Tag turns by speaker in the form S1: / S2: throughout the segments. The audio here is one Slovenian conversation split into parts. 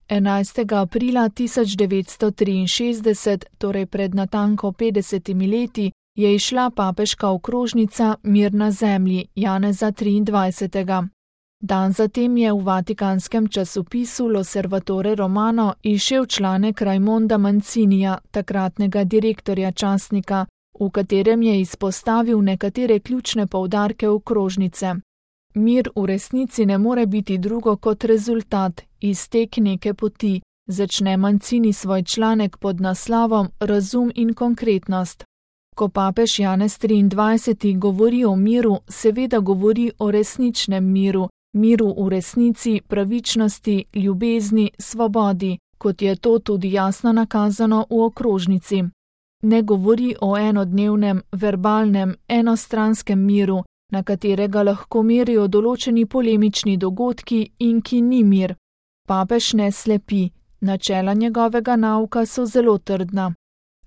S1: 11. aprila 1963, torej pred natanko 50 leti, je izšla papeška okrožnica Mir na zemlji Janeza 23. Dan zatem je v vatikanskem časopisu L'Osservatore Romano izšel članek Raimonda Mancinija, takratnega direktorja časnika, v katerem je izpostavil nekatere ključne poudarke okrožnice. Mir v resnici ne more biti drugo kot rezultat, iztek neke poti, začne Mancini svoj članek pod naslovom Razum in konkretnost. Ko papež Janez 23. govori o miru, seveda govori o resničnem miru, miru v resnici, pravičnosti, ljubezni, svobodi, kot je to tudi jasno nakazano v okrožnici. Ne govori o enodnevnem, verbalnem, enostranskem miru, na katerega lahko merijo določeni polemični dogodki in ki ni mir. Papež ne slepi, načela njegovega nauka so zelo trdna.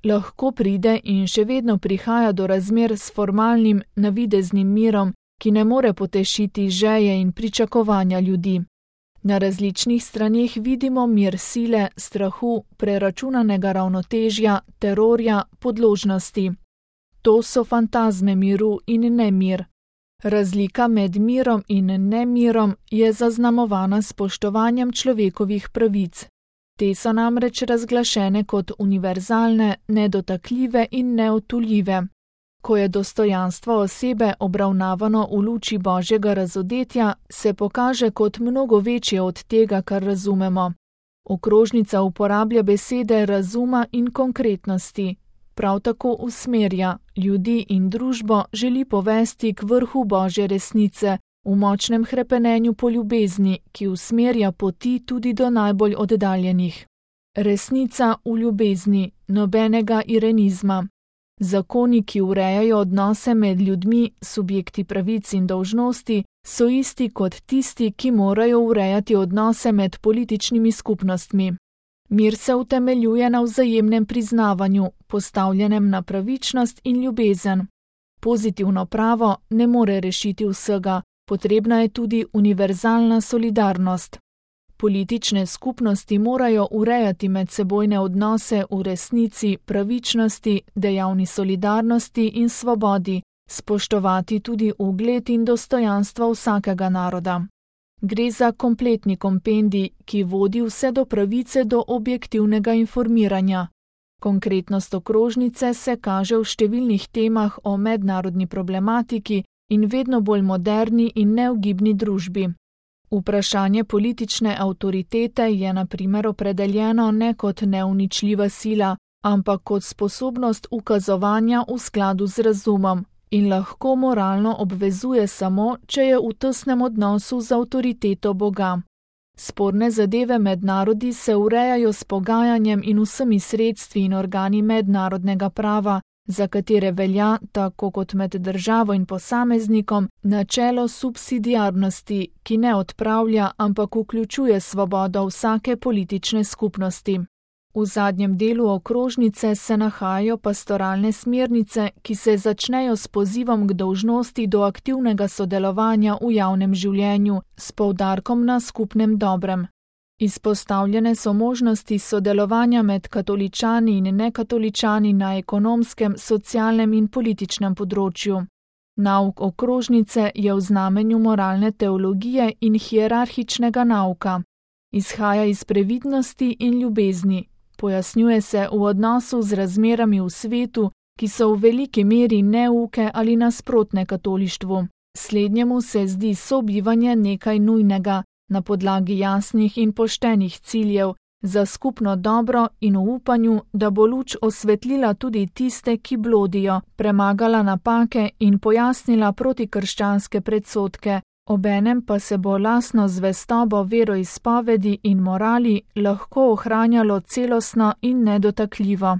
S1: Lahko pride in še vedno prihaja do razmer s formalnim, navideznim mirom, ki ne more potešiti želje in pričakovanja ljudi. Na različnih straneh vidimo mir sile, strahu, preračunanega ravnotežja, terorja, podložnosti. To so fantazme miru in nemir. Razlika med mirom in nemirom je zaznamovana s spoštovanjem človekovih pravic. Te so namreč razglašene kot univerzalne, nedotakljive in neodtujljive. Ko je dostojanstvo osebe obravnavano v luči Božjega razodetja, se pokaže kot mnogo večje od tega, kar razumemo. Okrožnica uporablja besede razuma in konkretnosti. Prav tako usmerja, ljudi in družbo želi povesti k vrhu Božje resnice, v močnem hrepenenju po ljubezni, ki usmerja poti tudi do najbolj oddaljenih. Resnica v ljubezni, nobenega irenizma. Zakoni, ki urejajo odnose med ljudmi, subjekti pravic in dolžnosti, so isti kot tisti, ki morajo urejati odnose med političnimi skupnostmi. Mir se utemeljuje na vzajemnem priznavanju, postavljenem na pravičnost in ljubezen. Pozitivno pravo ne more rešiti vsega, potrebna je tudi univerzalna solidarnost. Politične skupnosti morajo urejati medsebojne odnose v resnici, pravičnosti, dejavni solidarnosti in svobodi, spoštovati tudi ugled in dostojanstvo vsakega naroda. Gre za kompletni kompendij, ki vodi vse do pravice do objektivnega informiranja. Konkretnost okrožnice se kaže v številnih temah o mednarodni problematiki in vedno bolj moderni in neugibni družbi. Vprašanje politične avtoritete je na primer opredeljeno ne kot neuničljiva sila, ampak kot sposobnost ukazovanja v skladu z razumom in lahko moralno obvezuje samo, če je v tesnem odnosu z avtoriteto Boga. Sporne zadeve med narodi se urejajo s pogajanjem in vsemi sredstvi in organi mednarodnega prava, za katere velja, tako kot med državo in posameznikom, načelo subsidiarnosti, ki ne odpravlja, ampak vključuje svobodo vsake politične skupnosti. V zadnjem delu okrožnice se nahajajo pastoralne smernice, ki se začnejo s pozivom k dolžnosti do aktivnega sodelovanja v javnem življenju, s poudarkom na skupnem dobrem. Izpostavljene so možnosti sodelovanja med katoličani in nekatoličani na ekonomskem, socialnem in političnem področju. Nauk okrožnice je v znamenju moralne teologije in hierarhičnega nauka. Izhaja iz previdnosti in ljubezni. Pojasnjuje se v odnosu z razmerami v svetu, ki so v veliki meri neuke ali nasprotne katolištvu. Slednjemu se zdi sobivanje nekaj nujnega, na podlagi jasnih in poštenih ciljev, za skupno dobro in v upanju, da bo luč osvetlila tudi tiste, ki blodijo, premagala napake in pojasnila protikrščanske predsodke, obenem pa se bo lastno zvestobo veroizpovedi in morali lahko ohranjalo celostno in nedotakljivo.